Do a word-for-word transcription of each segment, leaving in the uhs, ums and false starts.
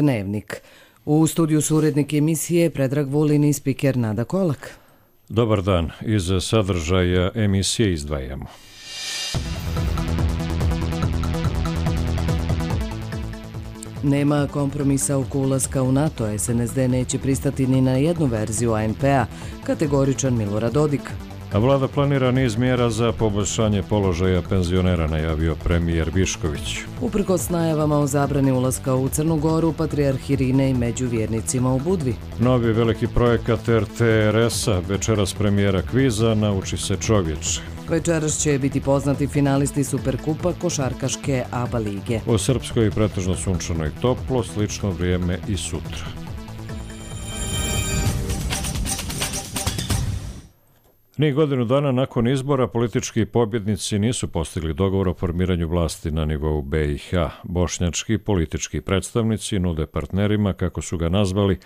Dnevnik. U studiju su urednik emisije Predrag Vulin i spiker Nada Kolak. Dobar dan. Iz sadržaja emisije izdvajamo. Nema kompromisa oko ulaska u NATO. es en es de neće pristati ni na jednu verziju a en pe a, kategoričan Milorad Dodik. A vlada planira niz mjera za poboljšanje položaja penzionera, najavio premijer Višković. Uprkos najavama o zabrani ulaska u Crnu Goru, patrijarh Irine i među vjernicima u Budvi. Novi veliki projekat er te er es-a, večeras premijera kviza, nauči se čovječe. Večeras će biti poznati finalisti Superkupa košarkaške A B A lige. U Srpskoj pretežno sunčano i toplo, slično vrijeme i sutra. Ni godinu dana nakon izbora politički pobjednici nisu postigli dogovor o formiranju vlasti na nivou be i ha. Bošnjački politički predstavnici nude partnerima, kako su ga nazvali,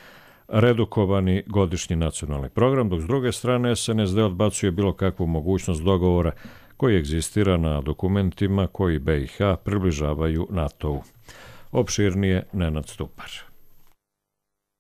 redukovani godišnji nacionalni program, dok s druge strane es en es de odbacuje bilo kakvu mogućnost dogovora koji egzistira na dokumentima koji be i ha približavaju NATO-u. Opširnije Nenad Stupar.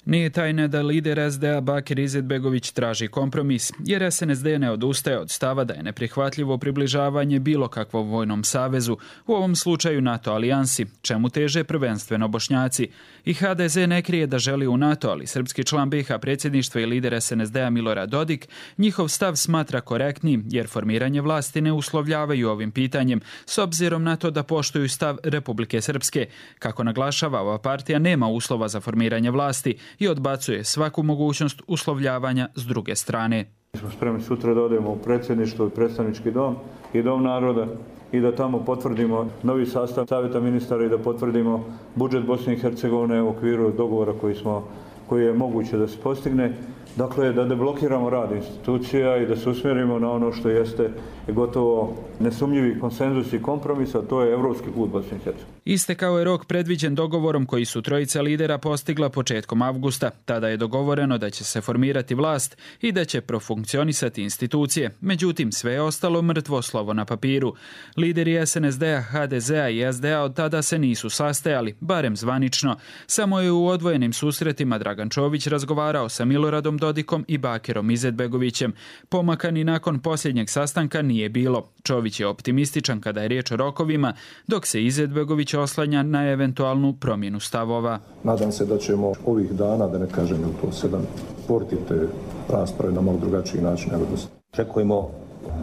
Nije tajna da lider es de a Bakir Izetbegović traži kompromis, jer es en es de ne odustaje od stava da je neprihvatljivo približavanje bilo kakvom vojnom savezu, u ovom slučaju NATO alijansi, čemu teže prvenstveno Bošnjaci. I ha de ze ne krije da želi u NATO, ali srpski član be i ha predsjedništva i lider es en es de a Milorad Dodik njihov stav smatra korektnim, jer formiranje vlasti ne uslovljavaju ovim pitanjem, s obzirom na to da poštuju stav Republike Srpske. Kako naglašava, ova partija nema uslova za formiranje vlasti i odbacuje svaku mogućnost uslovljavanja s druge strane. Mi smo spremni sutra da odemo u predsjedništvo i predstavnički dom i dom naroda i da tamo potvrdimo novi sastav savjeta ministara i da potvrdimo budžet Bosne i Hercegovine u okviru dogovora koji, smo, koji je moguće da se postigne. Dakle, da deblokiramo rad institucija i da se usmjerimo na ono što jeste gotovo nesumnjivi konsenzus i kompromis, a to je evropski put Bosne i Hercegovine. Istekao je rok predviđen dogovorom koji su trojica lidera postigla početkom avgusta. Tada je dogovoreno da će se formirati vlast i da će profunkcionisati institucije. Međutim, sve je ostalo mrtvo slovo na papiru. Lideri es en es de-a, ha de ze-a i es de a od tada se nisu sastajali, barem zvanično. Samo je u odvojenim susretima Dragan Čović razgovarao sa Miloradom Dodikom i Bakirom Izetbegovićem. Pomaka ni nakon posljednjeg sastanka nije bilo. Čović je optimističan kada je riječ o rokovima, dok se Izetbegović oslanja na eventualnu promjenu stavova. Nadam se da ćemo ovih dana, da ne kažem u to sedam, portiti te rasprave na malo drugačiji način nego do sada. Očekujemo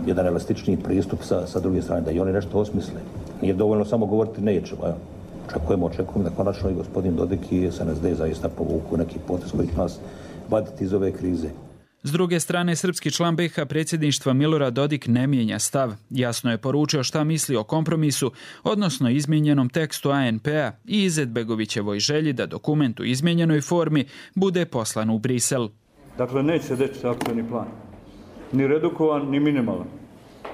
jedan elastičniji pristup sa, sa druge strane, da i oni nešto osmisle. Nije dovoljno samo govoriti nećemo. Ja. Očekujemo, očekujemo da konačno i gospodin Dodik i es en es de zaista povuku neki potez koji će nas vaditi iz ove krize. S druge strane, srpski član be i ha predsjedništva Milorad Dodik ne mijenja stav. Jasno je poručio šta misli o kompromisu, odnosno izmijenjenom tekstu a en pe a i Izetbegovićevoj želji da dokument u izmijenjenoj formi bude poslan u Brisel. Dakle, neće se desiti akcioni plan. Ni redukovan, ni minimalan.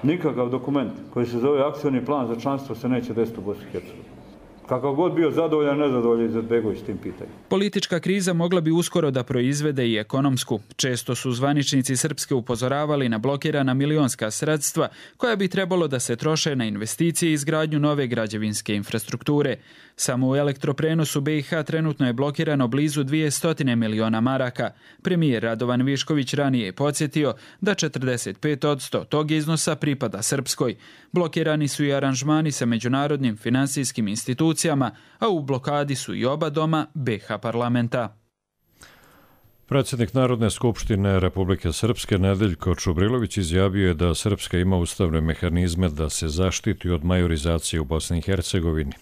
Nikakav dokument koji se zove akcioni plan za članstvo se neće desiti u Bosni i Hercegovini. Kakav god bio zadovoljan, nezadovoljan Izetbegović s tim pitanjem. Politička kriza mogla bi uskoro da proizvede i ekonomsku. Često su zvaničnici Srpske upozoravali na blokirana milionska sredstva koja bi trebalo da se troše na investicije i izgradnju nove građevinske infrastrukture. Samo u elektroprenosu be i ha trenutno je blokirano blizu dvjesto miliona maraka. Premijer Radovan Višković ranije je podsjetio da četrdeset pet posto tog iznosa pripada Srpskoj. Blokirani su i aranžmani sa međunarodnim finansijskim institucijama, a u blokadi su i oba doma be i ha parlamenta. Predsjednik Narodne skupštine Republike Srpske Nedeljko Čubrilović izjavio je da Srpska ima ustavne mehanizme da se zaštiti od majorizacije u Bosni i Hercegovini.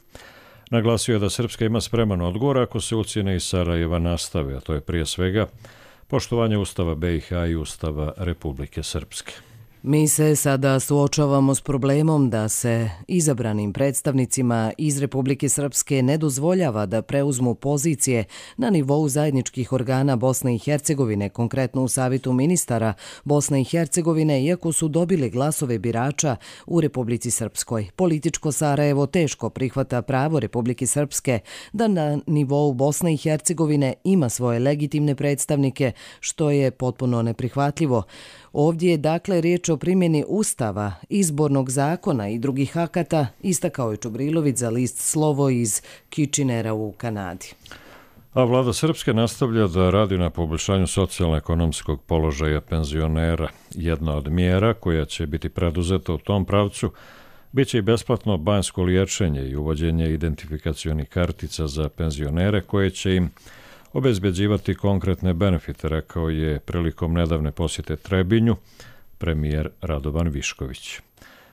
Naglasio je da Srpska ima spreman odgovor ako se ucjene iz Sarajeva nastave, a to je prije svega poštovanje Ustava be i ha i Ustava Republike Srpske. Mi se sada suočavamo s problemom da se izabranim predstavnicima iz Republike Srpske ne dozvoljava da preuzmu pozicije na nivou zajedničkih organa Bosne i Hercegovine, konkretno u Savjetu ministara Bosne i Hercegovine, iako su dobili glasove birača u Republici Srpskoj. Političko Sarajevo teško prihvata pravo Republike Srpske da na nivou Bosne i Hercegovine ima svoje legitimne predstavnike, što je potpuno neprihvatljivo. Ovdje je dakle riječ o primjeni Ustava, izbornog zakona i drugih akata, istakao je Čubrilović za list Slovo iz Kitchenera u Kanadi. A vlada Srpske nastavlja da radi na poboljšanju socijalno-ekonomskog položaja penzionera. Jedna od mjera koja će biti preduzeta u tom pravcu biće i besplatno banjsko liječenje i uvođenje identifikacionih kartica za penzionere koje će im obezbeđivati konkretne benefite, rekao je prilikom nedavne posjete Trebinju premijer Radovan Višković.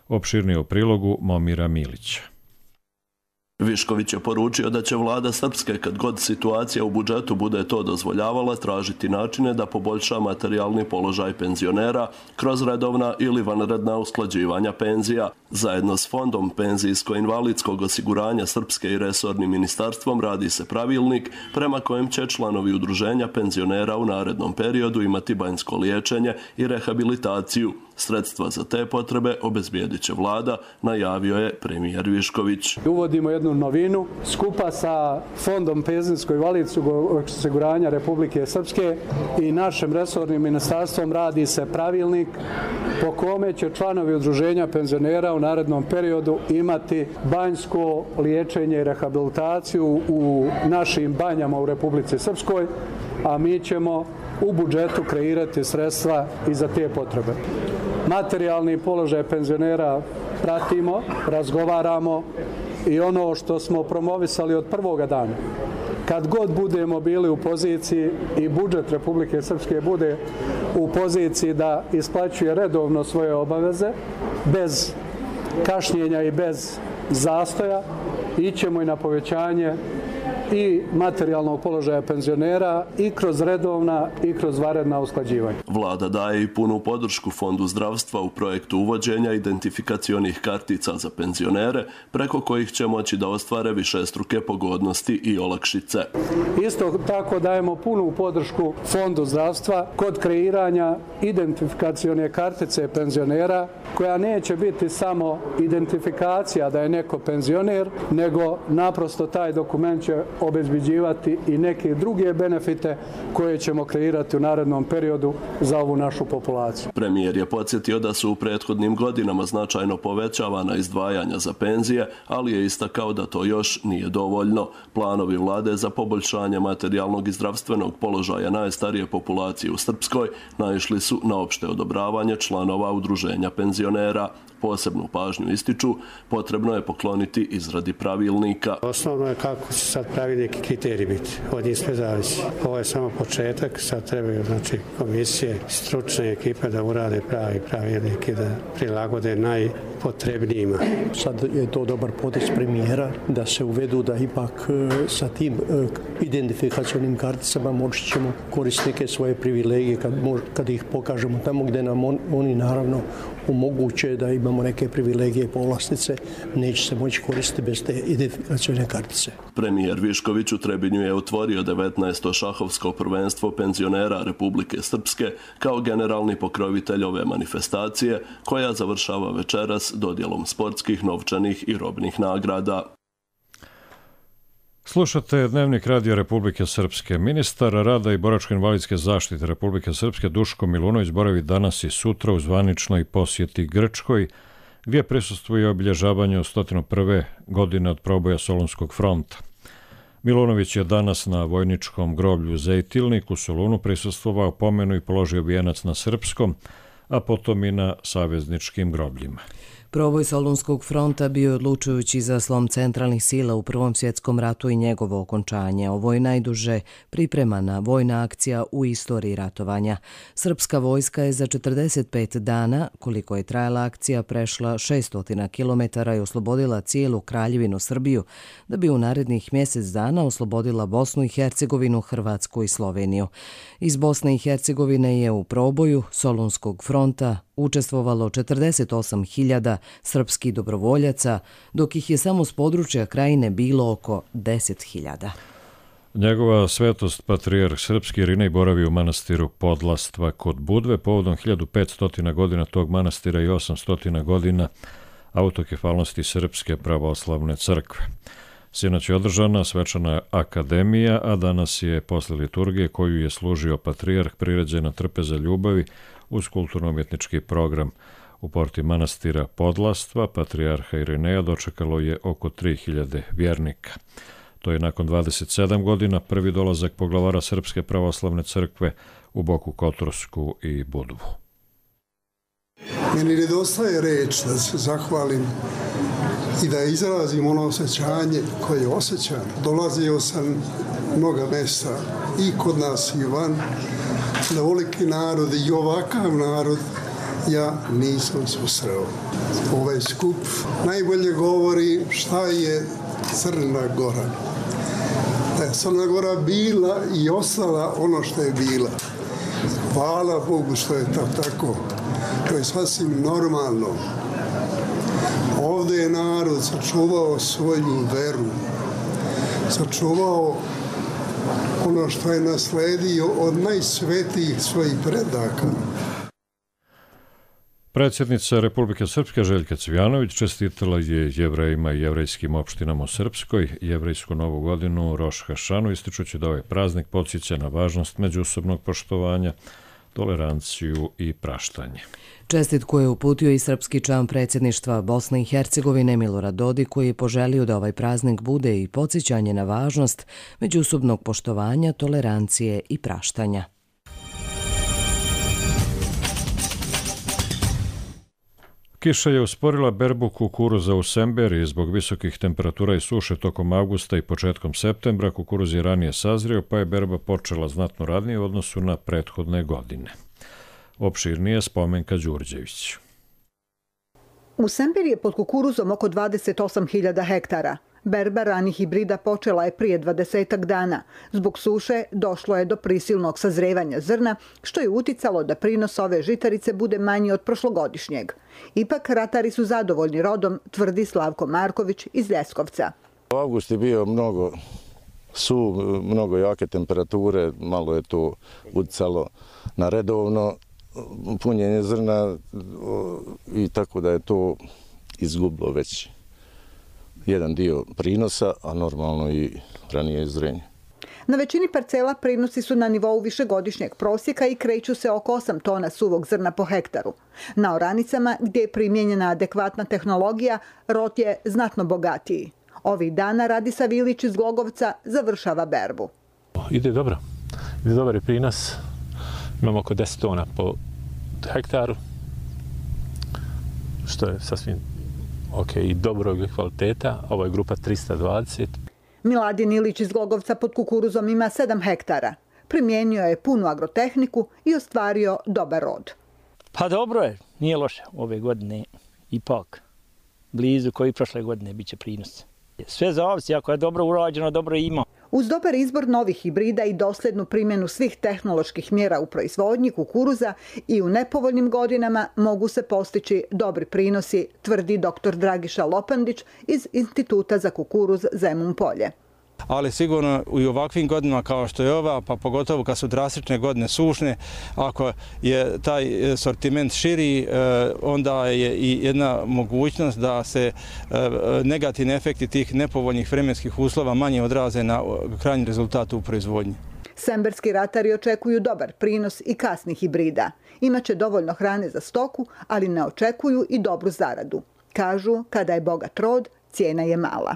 Opširnije o prilogu Momira Milića. Višković je poručio da će vlada Srpske, kad god situacija u budžetu bude to dozvoljavala, tražiti načine da poboljša materijalni položaj penzionera kroz redovna ili vanredna usklađivanja penzija. Zajedno s Fondom penzijsko-invalidskog osiguranja Srpske i resornim ministarstvom radi se pravilnik prema kojem će članovi udruženja penzionera u narednom periodu imati banjsko liječenje i rehabilitaciju. Sredstva za te potrebe obezbijedit će vlada, najavio je premijer Višković. Uvodimo jednu novinu skupa sa Fondom penzijsko-invalidskog osiguranja Republike Srpske i našim resornim ministarstvom radi se pravilnik po kome će članovi udruženja penzionera u narednom periodu imati banjsko liječenje i rehabilitaciju u našim banjama u Republici Srpskoj, a mi ćemo u budžetu kreirati sredstva i za te potrebe. Materijalni položaj penzionera pratimo, razgovaramo i ono što smo promovisali od prvoga dana. Kad god budemo bili u poziciji i budžet Republike Srpske bude u poziciji da isplaćuje redovno svoje obaveze, bez kašnjenja i bez zastoja, ićemo i na povećanje i materijalnog položaja penzionera i kroz redovna i kroz vanredna usklađivanja. Vlada daje i punu podršku Fondu zdravstva u projektu uvođenja identifikacionih kartica za penzionere, preko kojih će moći da ostvare višestruke pogodnosti i olakšice. Isto tako dajemo punu podršku Fondu zdravstva kod kreiranja identifikacione kartice penzionera, koja neće biti samo identifikacija da je neko penzioner, nego naprosto taj dokument će obezbeđivati i neke druge benefite koje ćemo kreirati u narednom periodu za ovu našu populaciju. Premijer je podsjetio da su u prethodnim godinama značajno povećavana izdvajanja za penzije, ali je istakao da to još nije dovoljno. Planovi vlade za poboljšanje materijalnog i zdravstvenog položaja najstarije populacije u Srpskoj naišli su na opšte odobravanje članova udruženja penzionera. Posebnu pažnju ističu, potrebno je pokloniti izradi pravilnika. Osnovno je kako će sad pravilnik i kriteriji biti. Od njih sve zavisi. Ovo je samo početak, sad trebaju znači, komisije, stručne ekipe da urade pravi pravilnik i da prilagode najpotrebnijima. Sad je to dobar potez premijera da se uvedu da ipak sa tim identifikacionim karticama moći ćemo koristiti neke svoje privilegije kad, kad ih pokažemo tamo gdje nam on, oni naravno omoguće da imamo neke privilegije i povlastice, neće se moći koristiti bez te identifikacione kartice. Premijer Višković u Trebinju je otvorio devetnaesto šahovsko prvenstvo penzionera Republike Srpske kao generalni pokrovitelj ove manifestacije, koja završava večeras dodjelom sportskih, novčanih i robnih nagrada. Slušate Dnevnik radija Republike Srpske. Ministar rada i boračko-invalidske zaštite Republike Srpske Duško Milunović boravi danas i sutra u zvaničnoj posjeti Grčkoj, gdje prisustvuje obilježavanju sto prve godine od proboja Solunskog fronta. Milunović je danas na vojničkom groblju Zejtilnik u Solunu prisustvovao pomenu i položio vijenac na srpskom, a potom i na savezničkim grobljima. Proboj Solunskog fronta bio je odlučujući za slom centralnih sila u Prvom svjetskom ratu i njegovo okončanje. Ovo je najduže pripremana vojna akcija u istoriji ratovanja. Srpska vojska je za četrdeset pet dana, koliko je trajala akcija, prešla šesto kilometara i oslobodila cijelu Kraljevinu Srbiju, da bi u narednih mjesec dana oslobodila Bosnu i Hercegovinu, Hrvatsku i Sloveniju. Iz Bosne i Hercegovine je u proboju Solunskog fronta učestvovalo četrdeset osam hiljada srpskih dobrovoljaca, dok ih je samo s područja Krajine bilo oko deset hiljada. Njegova svetost patrijarh srpski Irinej boravi u manastiru Podlastva kod Budve povodom hiljadu petsto godina tog manastira i osamsto godina autokefalnosti Srpske pravoslavne crkve. Sinoć je održana svečana akademija, a danas je posle liturgije koju je služio patrijarh priređena trpeza ljubavi uz kulturno-umjetnički program. U porti manastira Podlastva patrijarha Irineja dočekalo je oko tri hiljade vjernika. To je nakon dvadeset sedam godina prvi dolazak poglavara Srpske pravoslavne crkve u Boku Kotorsku i Budvu. Meni nedostaje reč da se zahvalim i da izrazim ono osjećanje koje osjećam. Dolazio sam mnoga mesta i kod nas i van, da ovoliki narod i ovakav narod ja nisam susreo. Ovaj skup najbolje govori šta je Crna Gora. Da je Crna Gora bila i ostala ono što je bila. Hvala Bogu što je to tako. To je sasvim normalno. Ovdje je narod sačuvao svoju veru, sačuvao ono što je nasledio od najsvetijih svojih predaka. Predsjednica Republike Srpske Željka Cvijanović čestitala je Jevrejima i jevrejskim opštinama u Srpskoj jevrejsku novu godinu Roš Hašanu, ističući da ovaj praznik podsjeća na važnost međusobnog poštovanja, toleranciju i praštanje. Čestitku je uputio i srpski član predsjedništva Bosne i Hercegovine Milorad Dodik, koji je poželio da ovaj praznik bude i podsjećanje na važnost međusobnog poštovanja, tolerancije i praštanja. Kiša je usporila berbu kukuruza u Semberiji zbog visokih temperatura i suše tokom avgusta i početkom septembra. Kukuruz je ranije sazrio, pa je berba počela znatno ranije u odnosu na prethodne godine. Opširnije Spomenka Đurđević. U Semberiji je pod kukuruzom oko dvadeset osam hiljada hektara. Berba ranih hibrida počela je prije dvadesetak dana. Zbog suše došlo je do prisilnog sazrevanja zrna, što je uticalo da prinos ove žitarice bude manji od prošlogodišnjeg. Ipak ratari su zadovoljni rodom, tvrdi Slavko Marković iz Ljeskovca. Avgust je bio mnogo su, mnogo jake temperature, malo je to uticalo na redovno punjenje zrna i tako da je to izgubilo već jedan dio prinosa, a normalno i ranije zrenje. Na većini parcela prinosi su na nivou višegodišnjeg prosjeka i kreću se oko osam tona suvog zrna po hektaru. Na oranicama, gdje je primijenjena adekvatna tehnologija, rod je znatno bogatiji. Ovih dana Radisa Vilić iz Glogovca završava berbu. Ide dobro. Ide dobar je prinos. Imamo oko deset tona po hektaru, što je sasvim ok i dobrog kvaliteta. Ovo je grupa trista dvadeset. Miladin Ilić iz Glogovca pod kukuruzom ima sedam hektara. Primijenio je punu agrotehniku i ostvario dobar rod. Pa dobro je, nije loše. Ove godine ipak blizu koji prošle godine bit će prinos. Sve zavisi, ako je dobro urađeno, dobro ima. Uz dobar izbor novih hibrida i dosljednu primjenu svih tehnoloških mjera u proizvodnji kukuruza i u nepovoljnim godinama mogu se postići dobri prinosi, tvrdi doktor Dragiša Lopandić iz Instituta za kukuruz Zemun Polje. Ali sigurno i u ovakvim godinama kao što je ova, pa pogotovo kad su drastične godine sušne, ako je taj sortiment širi, onda je i jedna mogućnost da se negativni efekti tih nepovoljnih vremenskih uslova manje odraze na krajnji rezultat u proizvodnji. Semberski ratari očekuju dobar prinos i kasnih hibrida. Imaće dovoljno hrane za stoku, ali ne očekuju i dobru zaradu. Kažu, kada je bogat rod, cijena je mala.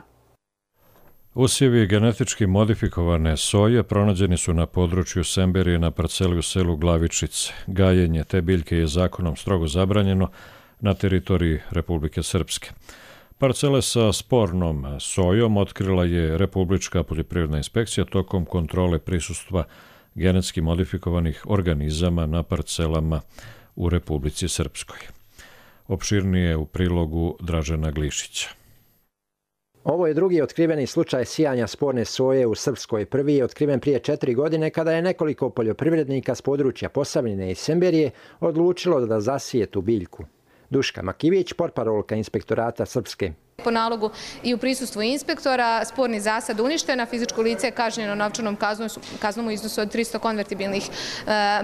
Usjevi genetički modifikovane soje pronađeni su na području Semberije na parceli u selu Glavičice. Gajenje te biljke je zakonom strogo zabranjeno na teritoriji Republike Srpske. Parcele sa spornom sojom otkrila je Republička poljoprivredna inspekcija tokom kontrole prisustva genetski modifikovanih organizama na parcelama u Republici Srpskoj. Opširnije u prilogu Dražena Glišića. Ovo je drugi otkriveni slučaj sijanja sporne soje u Srpskoj. Prvi je otkriven prije četiri godine kada je nekoliko poljoprivrednika s područja Posavine i Semberije odlučilo da zasije tu biljku. Duška Makivić, portparolka Inspektorata Srpske. Po nalogu i u prisustvu inspektora sporni zasad uništen, a fizičko lice je kažnjeno novčanom kaznom, kaznom u iznosu od tristo konvertibilnih e,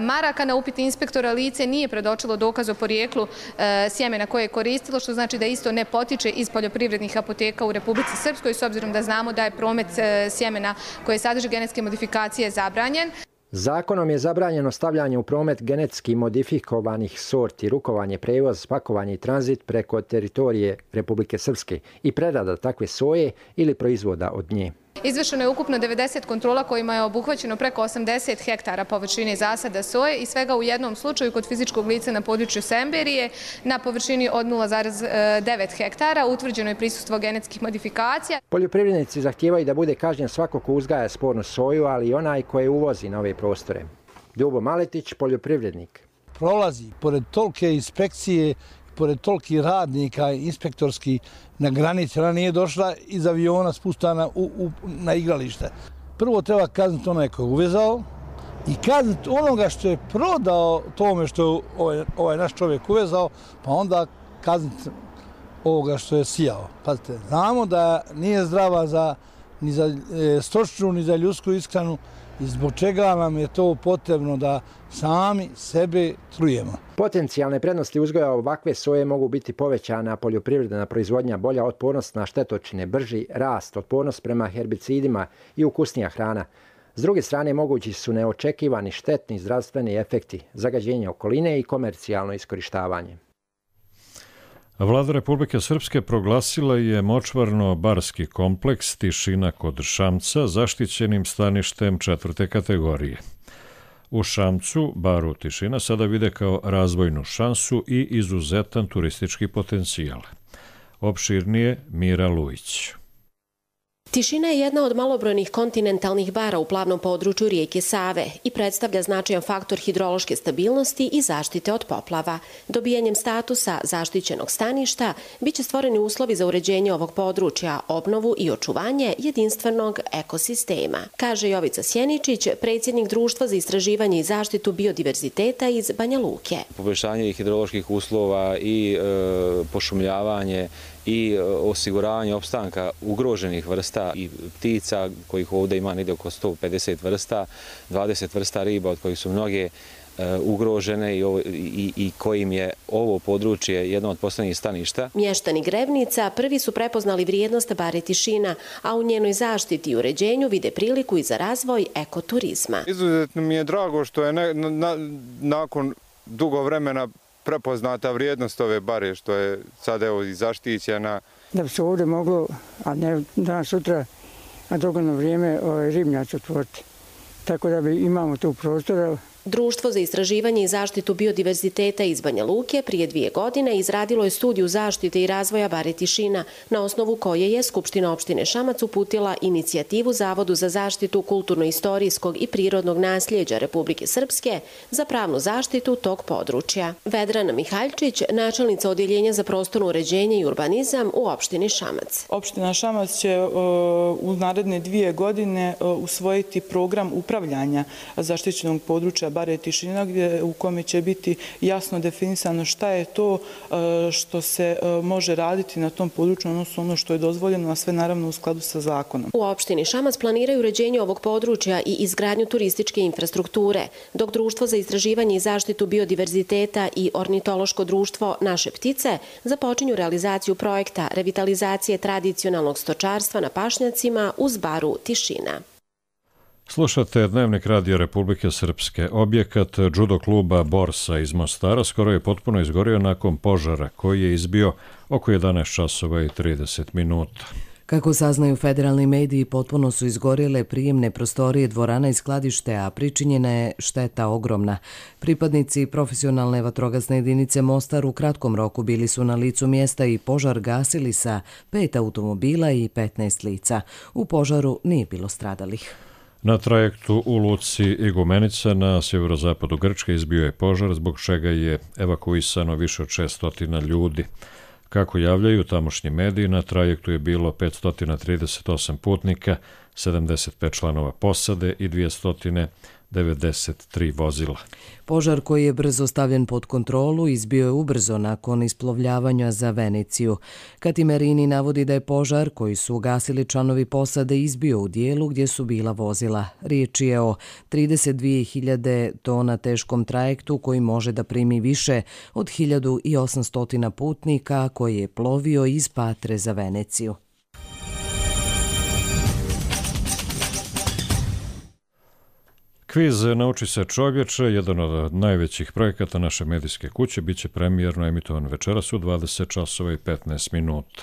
maraka. Na upit inspektora lice nije predočilo dokaz o porijeklu e, sjemena koje je koristilo, što znači da isto ne potiče iz poljoprivrednih apoteka u Republici Srpskoj, s obzirom da znamo da je promet e, sjemena koje sadrži genetske modifikacije zabranjen. Zakonom je zabranjeno stavljanje u promet genetski modifikovanih sorti, rukovanje, prevoz, pakovanje i tranzit preko teritorije Republike Srpske i prerada takve soje ili proizvoda od nje. Izvršeno je ukupno devedeset kontrola kojima je obuhvaćeno preko osamdeset hektara površine zasada soje i svega u jednom slučaju kod fizičkog lica na području Semberije na površini od nula zarez devet hektara utvrđeno je prisustvo genetskih modifikacija. Poljoprivrednici zahtijevaju da bude kažnjen svako ko uzgaja spornu soju, ali i onaj koje uvozi na ove prostore. Ljubo Maletić, poljoprivrednik. Prolazi pored tolike inspekcije, pored tolikih radnika inspektorski na granici, ona nije došla iz aviona spuštana u, u, na igralište. Prvo treba kazniti onaj koji je uvezao i kazniti onoga što je prodao tome što je ovaj, ovaj naš čovjek uvezao, pa onda kazniti ovoga što je sijao. Pazite, znamo da nije zdrava za, ni za e, stočnu, ni za ljudsku ishranu i zbog čega nam je to potrebno da sami sebe trujemo. Potencijalne prednosti uzgoja ovakve soje mogu biti povećana poljoprivredna proizvodnja, bolja otpornost na štetočine, brži rast, otpornost prema herbicidima i ukusnija hrana. S druge strane, mogući su neočekivani štetni zdravstveni efekti, zagađenje okoline i komercijalno iskorištavanje. Vlada Republike Srpske proglasila je močvarno-barski kompleks Tišina kod Šamca zaštićenim staništem četvrte kategorije. U Šamcu, baru Tišina, sada vide kao razvojnu šansu i izuzetan turistički potencijal. Opširnije Mira Lujić. Tišina je jedna od malobrojnih kontinentalnih bara u plavnom području rijeke Save i predstavlja značajan faktor hidrološke stabilnosti i zaštite od poplava. Dobijanjem statusa zaštićenog staništa biće stvoreni uslovi za uređenje ovog područja, obnovu i očuvanje jedinstvenog ekosistema, kaže Jovica Sjeničić, predsjednik Društva za istraživanje i zaštitu biodiverziteta iz Banja Luke. Poboljšanje hidroloških uslova i e, pošumljavanje i osiguravanje opstanka ugroženih vrsta i ptica, kojih ovdje ima negdje oko sto pedeset vrsta, dvadeset vrsta riba od kojih su mnoge ugrožene i, i, i kojim je ovo područje jedno od posljednjih staništa. Mještani Grevnica prvi su prepoznali vrijednost bare Tišina, a u njenoj zaštiti i uređenju vide priliku i za razvoj ekoturizma. Izuzetno mi je drago što je ne, na, nakon dugo vremena prepoznata vrijednost ove bare, što je sad evo i zaštićena. Da bi se ovdje moglo, a ne danas sutra, a dogodno vrijeme ovaj, ribnjac otvoriti. Tako da bi imamo tu prostora. Društvo za istraživanje i zaštitu biodiverziteta iz Banja Luke prije dvije godine izradilo je studiju zaštite i razvoja bare Tišina, na osnovu koje je Skupština opštine Šamac uputila inicijativu Zavodu za zaštitu kulturno-istorijskog i prirodnog nasljeđa Republike Srpske za pravnu zaštitu tog područja. Vedrana Mihaljčić, načelnica Odjeljenja za prostorno uređenje i urbanizam u opštini Šamac. Opština Šamac će u naredne dvije godine usvojiti program upravljanja zaštićenog područja bare Tišina, gdje, u kome će biti jasno definisano šta je to što se može raditi na tom području, odnosno ono što je dozvoljeno, a sve naravno u skladu sa zakonom. U opštini Šamac planiraju uređenje ovog područja i izgradnju turističke infrastrukture, dok Društvo za istraživanje i zaštitu biodiverziteta i ornitološko društvo Naše ptice započinju realizaciju projekta revitalizacije tradicionalnog stočarstva na pašnjacima uz baru Tišina. Slušate Dnevnik Radija Republike Srpske. Objekat judo kluba Borsa iz Mostara skoro je potpuno izgorio nakon požara koji je izbio oko jedanaest časova i trideset minuta. Kako saznaju federalni mediji, potpuno su izgorjele prijemne prostorije, dvorana i skladište, a pričinjena je šteta ogromna. Pripadnici profesionalne vatrogasne jedinice Mostar u kratkom roku bili su na licu mjesta i požar gasili sa pet automobila i petnaest lica. U požaru nije bilo stradalih. Na trajektu u luci Igumenica na sjeverozapadu Grčke izbio je požar, zbog čega je evakuisano više od šesto ljudi. Kako javljaju tamošnji mediji, na trajektu je bilo petsto trideset osam putnika, sedamdeset pet članova posade i dvjesto devedeset tri vozila. Požar koji je brzo stavljen pod kontrolu izbio je ubrzo nakon isplovljavanja za Veneciju. Katimerini navodi da je požar koji su ugasili članovi posade izbio u dijelu gdje su bila vozila. Riječ je o trideset dvije hiljade tona teškom trajektu koji može da primi više od hiljadu osamsto putnika, koji je plovio iz Patre za Veneciju. Kviz Nauči se čovječe, jedan od najvećih projekata naše medijske kuće, biće premijerno emitovan večeras u dvadeset časova i petnaest minuta.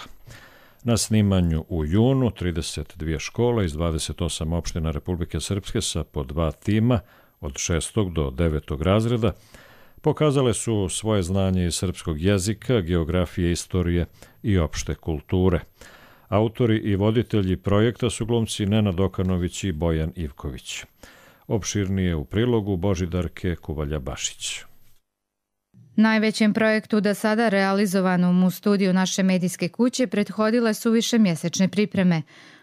Na snimanju u junu trideset dvije škole iz dvadeset osam opština Republike Srpske sa po dva tima od šestog do devetog razreda pokazale su svoje znanje iz srpskog jezika, geografije, istorije i opšte kulture. Autori i voditelji projekta su glumci Nenad Okanović i Bojan Ivković. Opširnije u prilogu Božidarke Kuvalja-Bašić. Najvećem projektu do sada realizovanom u studiju naše medijske kuće prethodile su višemjesečne pripreme.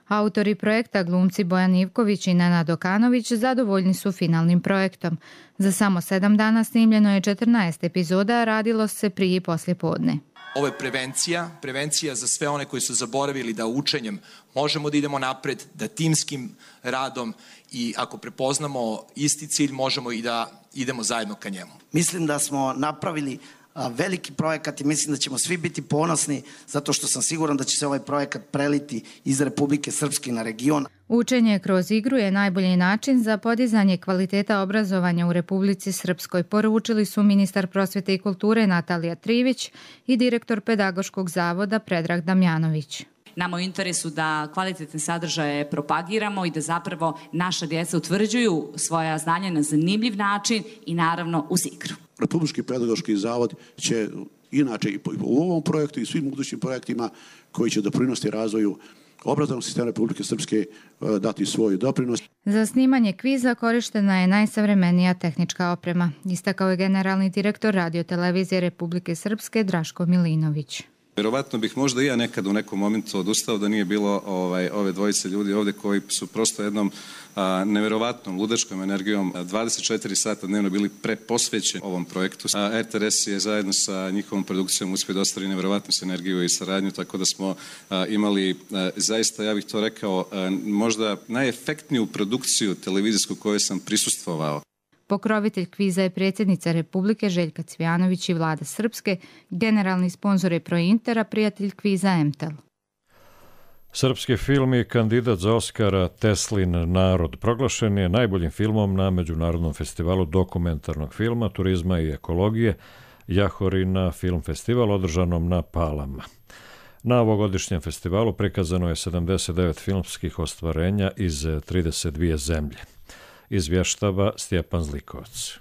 Autori projekta, glumci Bojan Ivković i Nenad Okanović, zadovoljni su finalnim projektom. Za samo sedam dana snimljeno je četrnaest epizoda, a radilo se prije i poslije podne. Ovo je prevencija, prevencija za sve one koji su zaboravili da učenjem možemo da idemo napred, da timskim radom i ako prepoznamo isti cilj možemo i da idemo zajedno ka njemu. Mislim da smo napravili veliki projekat i mislim da ćemo svi biti ponosni zato što sam siguran da će se ovaj projekat preliti iz Republike Srpske na region. Učenje kroz igru je najbolji način za podizanje kvaliteta obrazovanja u Republici Srpskoj, poručili su ministar prosvete i kulture Natalija Trivić i direktor Pedagoškog zavoda Predrag Damjanović. Nama u interesu da kvalitetne sadržaje propagiramo i da zapravo naša djeca utvrđuju svoja znanja na zanimljiv način i naravno uz igru. Republički pedagoški zavod će inače i u ovom projektu i svim budućim projektima koji će doprinosti razvoju obrazovnog sistema Republike Srpske dati svoj doprinos. Za snimanje kviza korištena je najsavremenija tehnička oprema, istakao je generalni direktor radiotelevizije Republike Srpske Draško Milinović. Vjerovatno bih možda i ja nekad u nekom momentu odustao da nije bilo ovaj, ove dvojice ljudi ovdje koji su prosto jednom a, nevjerovatnom ludačkom energijom a, dvadeset četiri sata dnevno bili preposvećeni ovom projektu. A, R T R S je zajedno sa njihovom produkcijom uspio da ostvari nevjerovatnu sinergiju i saradnju, tako da smo a, imali a, zaista, ja bih to rekao, a, možda najefektniju produkciju televizijsku kojoj sam prisustvovao. Pokrovitelj kviza je predsjednica Republike Željka Cvijanović i vlada Srpske, generalni sponzor je Prointera, prijatelj kviza Emtel. Srpski film i kandidat za Oskara Teslin narod proglašen je najboljim filmom na Međunarodnom festivalu dokumentarnog filma, turizma i ekologije Jahorina film festival održanom na Palama. Na ovogodišnjem festivalu prikazano je sedamdeset devet filmskih ostvarenja iz trideset dvije zemlje. Izvještava Stjepan Zlikovac.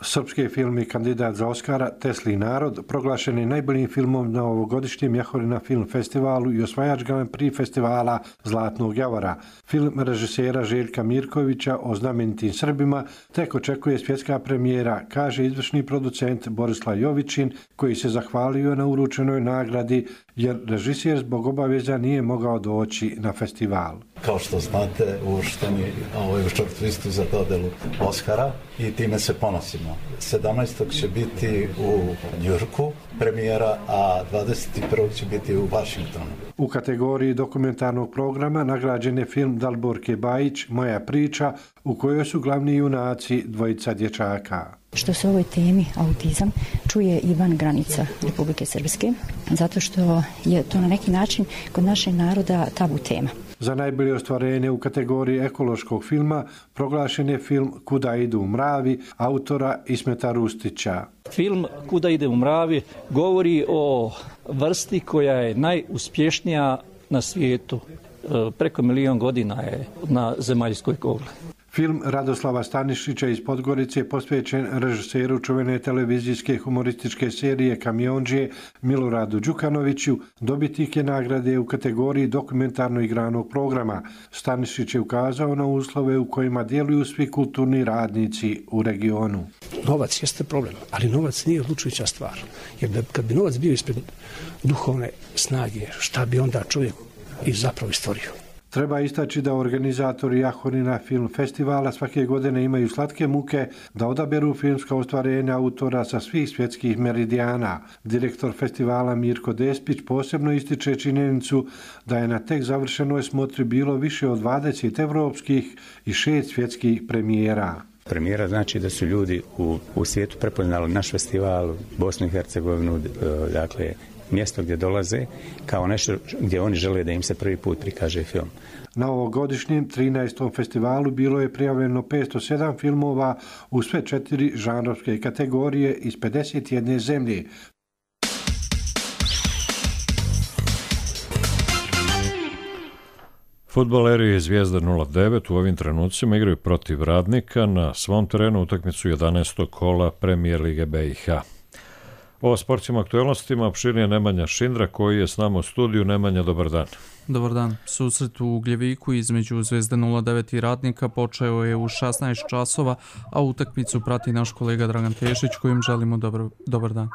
Srpski film i kandidat za Oskara Teslin narod proglašen je najboljim filmom na ovogodišnjem Jahorina film festivalu i osvajač Grand Prix festivala Zlatnog javora. Film režisera Željka Mirkovića o znamenitim Srbima tek očekuje svjetska premijera, kaže izvršni producent Borislav Jovićin, koji se zahvalio na uručenoj nagradi jer režiser zbog obaveza nije mogao doći na festival. Kao što znate, uvršteni ovaj, u shortlistu za dodelu Oskara i time se ponosimo. sedamnaestog će biti u Njujorku premijera, a dvadeset prvog će biti u Vašingtonu. U kategoriji dokumentarnog programa nagrađen je film Dalborke Bajić Moja priča, u kojoj su glavni junaci dvojica dječaka. Što se o ovoj temi autizam čuje i van granica Republike Srpske, zato što je to na neki način kod našeg naroda tabu tema. Za najbolje ostvarenje u kategoriji ekološkog filma proglašen je film Kuda idu mravi autora Ismeta Rustića. Film Kuda ide u mravi govori o vrsti koja je najuspješnija na svijetu. Preko milion godina je na zemaljskoj kugli. Film Radoslava Stanišića iz Podgorice je posvećen režiseru čuvene televizijske humorističke serije Kamiondžije Miloradu Đukanoviću, dobitnik je nagrade u kategoriji dokumentarno igranog programa. Stanišić je ukazao na uslove u kojima djeluju svi kulturni radnici u regionu. Novac jeste problem, ali novac nije odlučujuća stvar. Jer da, kad bi novac bio ispred duhovne snage, šta bi onda čovjek i zapravo stvorio? Treba istaći da organizatori Jahorina film festivala svake godine imaju slatke muke da odaberu filmska ostvarenja autora sa svih svjetskih meridijana. Direktor festivala Mirko Despić posebno ističe činjenicu da je na tek završenoj smotri bilo više od dvadeset evropskih i šest svjetskih premijera. Premijera znači da su ljudi u, u svijetu prepoznali naš festival, Bosnu i Hercegovinu, dakle mjesto gdje dolaze kao nešto gdje oni žele da im se prvi put prikaže film. Na ovogodišnjem trinaestom festivalu bilo je prijavljeno petsto sedam filmova u sve četiri žanrovske kategorije iz pedeset jedne zemlje. Fudbaleri Zvijezda nula devet u ovim trenucima igraju protiv Radnika na svom terenu utakmicu jedanaestog kola Premijer Lige B i H. O sportskim aktualnostima opširnije Nemanja Šindra koji je s nama u studiju. Nemanja, dobar dan. Dobar dan. Susret u Ugljeviku između Zvezde nula devet i Radnika počeo je u šesnaest časova, a utakmicu prati naš kolega Dragan Tešić kojim želimo dobar, dobar dan.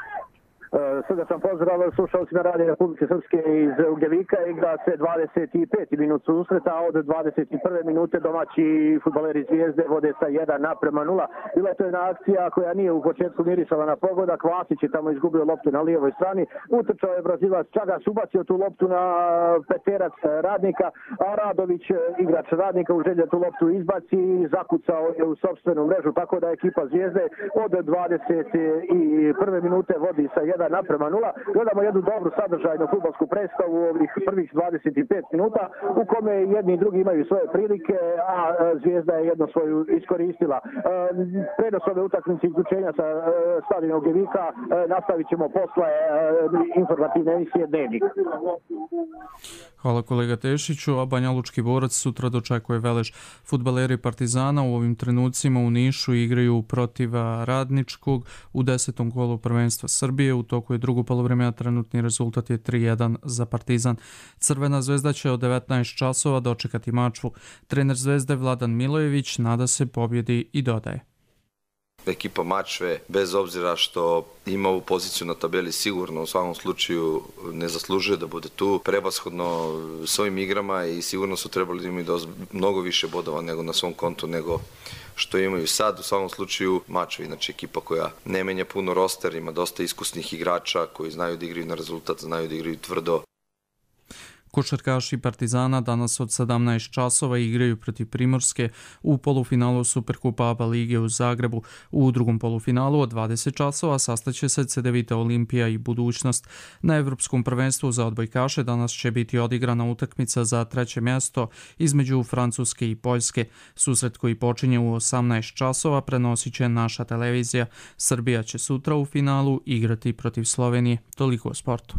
Srdačan pozdrav slušalcima Radija Republike Srpske iz Ugljevika. Igra se dvadeset pet minut susreta, a od dvadeset prve minute domaći fudbaleri Zvijezde vode sa jedan naprema nula. Bila je to jedna akcija koja nije u početku mirisala na pogodak. Vasić je tamo izgubio loptu na lijevoj strani. Utrčao je Brazilac Čagas, ubacio tu loptu na peterac Radnika, a Radović, igrač Radnika, u želji tu loptu izbaci i zakucao je u sopstvenu mrežu, tako da ekipa Zvijezde od dvadeset prve minute vodi sa jedan naprema nula. Gledamo jednu dobru sadržajnu fudbalsku predstavu u ovih prvih dvadeset pet minuta u kome jedni i drugi imaju svoje prilike, a Zvijezda je jedno svoju iskoristila. Prenos ove utakmice izključenja sa stadiona Ugljevika nastavit ćemo posle informativne emisije Dnevnik. Hvala kolega Tešiću, a Banja Lučki borac sutra dočekuje Velež. Fudbaleri Partizana u ovim trenucima u Nišu igraju protiv Radničkog u desetom kolu prvenstva Srbije. U toku je drugo poluvreme, a trenutni rezultat je tri jedan za Partizan. Crvena zvezda će od devetnaest časova dočekati Mačvu. Trener Zvezde Vladan Milojević nada se pobjedi i dodaje: Ekipa Mačve, bez obzira što ima ovu poziciju na tabeli, sigurno u svakom slučaju ne zaslužuje da bude tu. Prevashodno svojim igrama i sigurno su trebali da imaju mnogo više bodova nego na svom kontu nego što imaju sad. U svakom slučaju Mačve, znači ekipa koja ne menja puno roster, ima dosta iskusnih igrača koji znaju da igraju na rezultat, znaju da igraju tvrdo. Košarkaši Partizana danas od sedamnaest časova igraju protiv Primorske u polufinalu Superkupa A B A lige u Zagrebu. U drugom polufinalu od dvadeset časova sastaće se Cedevita Olimpija i Budućnost. Na Evropskom prvenstvu za odbojkaše danas će biti odigrana utakmica za treće mjesto između Francuske i Poljske. Susret koji počinje u osamnaest časova prenosit će naša televizija. Srbija će sutra u finalu igrati protiv Slovenije. Toliko o sportu.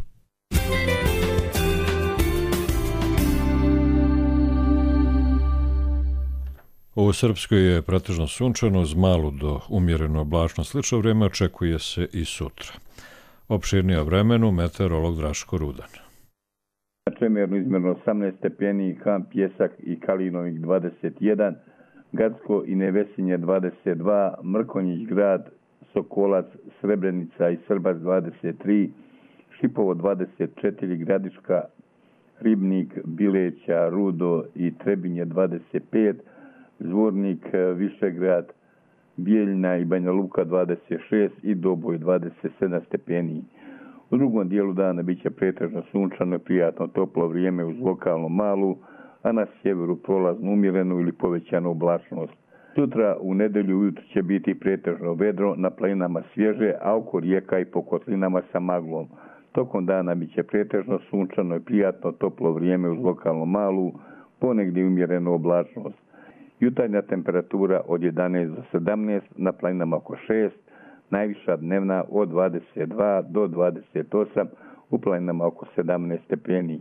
U Srpskoj je pretežno sunčano, uz malu do umjerenu oblačnost. Slično vrijeme očekuje se i sutra. Opširnije o vremenu meteorolog Draško Rudan. Čemerno izmjerno osamnaest stepeni, Ham, Pjesak i Kalinovik dvadeset jedan, Gacko i Nevesinje dvadeset dva, Mrkonjić grad, Sokolac, Srebrenica i Srbac dvadeset tri, Šipovo dvadeset četiri, Gradiška, Ribnik, Bileća, Rudo i Trebinje dvadeset pet, Zvornik, Višegrad, Bijeljna i Banja Luka dvadeset šest i Doboj dvadeset sedam stepeni. U drugom dijelu dana bit će pretežno sunčano i prijatno toplo vrijeme uz lokalnu malu, a na sjeveru prolaznu umjerenu ili povećanu oblačnost. Sutra u nedelju ujutro će biti pretežno vedro, na planinama svježe, a oko rijeka i po kotlinama sa maglom. Tokom dana bit će pretežno sunčano i prijatno toplo vrijeme uz lokalnu malu, ponegdje umjerenu oblačnost. Jutarnja temperatura od jedanaest do sedamnaest, na planinama oko šest, najviša dnevna od dvadeset dva do dvadeset osam, u planinama oko sedamnaest stepeni.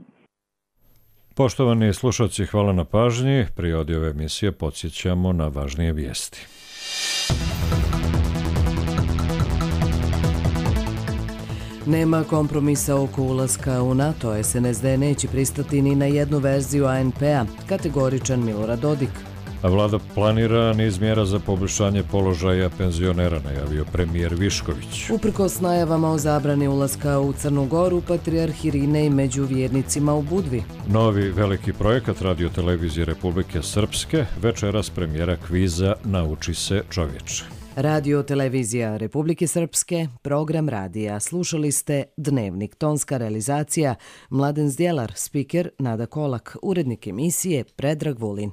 Poštovani slušalci, hvala na pažnji. Prije ove emisije podsjećamo na važnije vijesti. Nema kompromisa oko ulaska u NATO. S N S D neće pristati ni na jednu verziju A N P-a, kategoričan Milorad Dodik. A vlada planira niz mjera za poboljšanje položaja penzionera, najavio premijer Višković. Uprkos najavama o zabrani ulaska u Crnu Goru, patrijarh Irinej među vjernicima u Budvi. Novi veliki projekat Radio televizije Republike Srpske, večeras premijera kviza Nauči se čovječe. Radio televizija Republike Srpske, program radija. Slušali ste Dnevnik, tonska realizacija Mladen Zdjelar, spiker Nada Kolak, urednik emisije Predrag Vulin.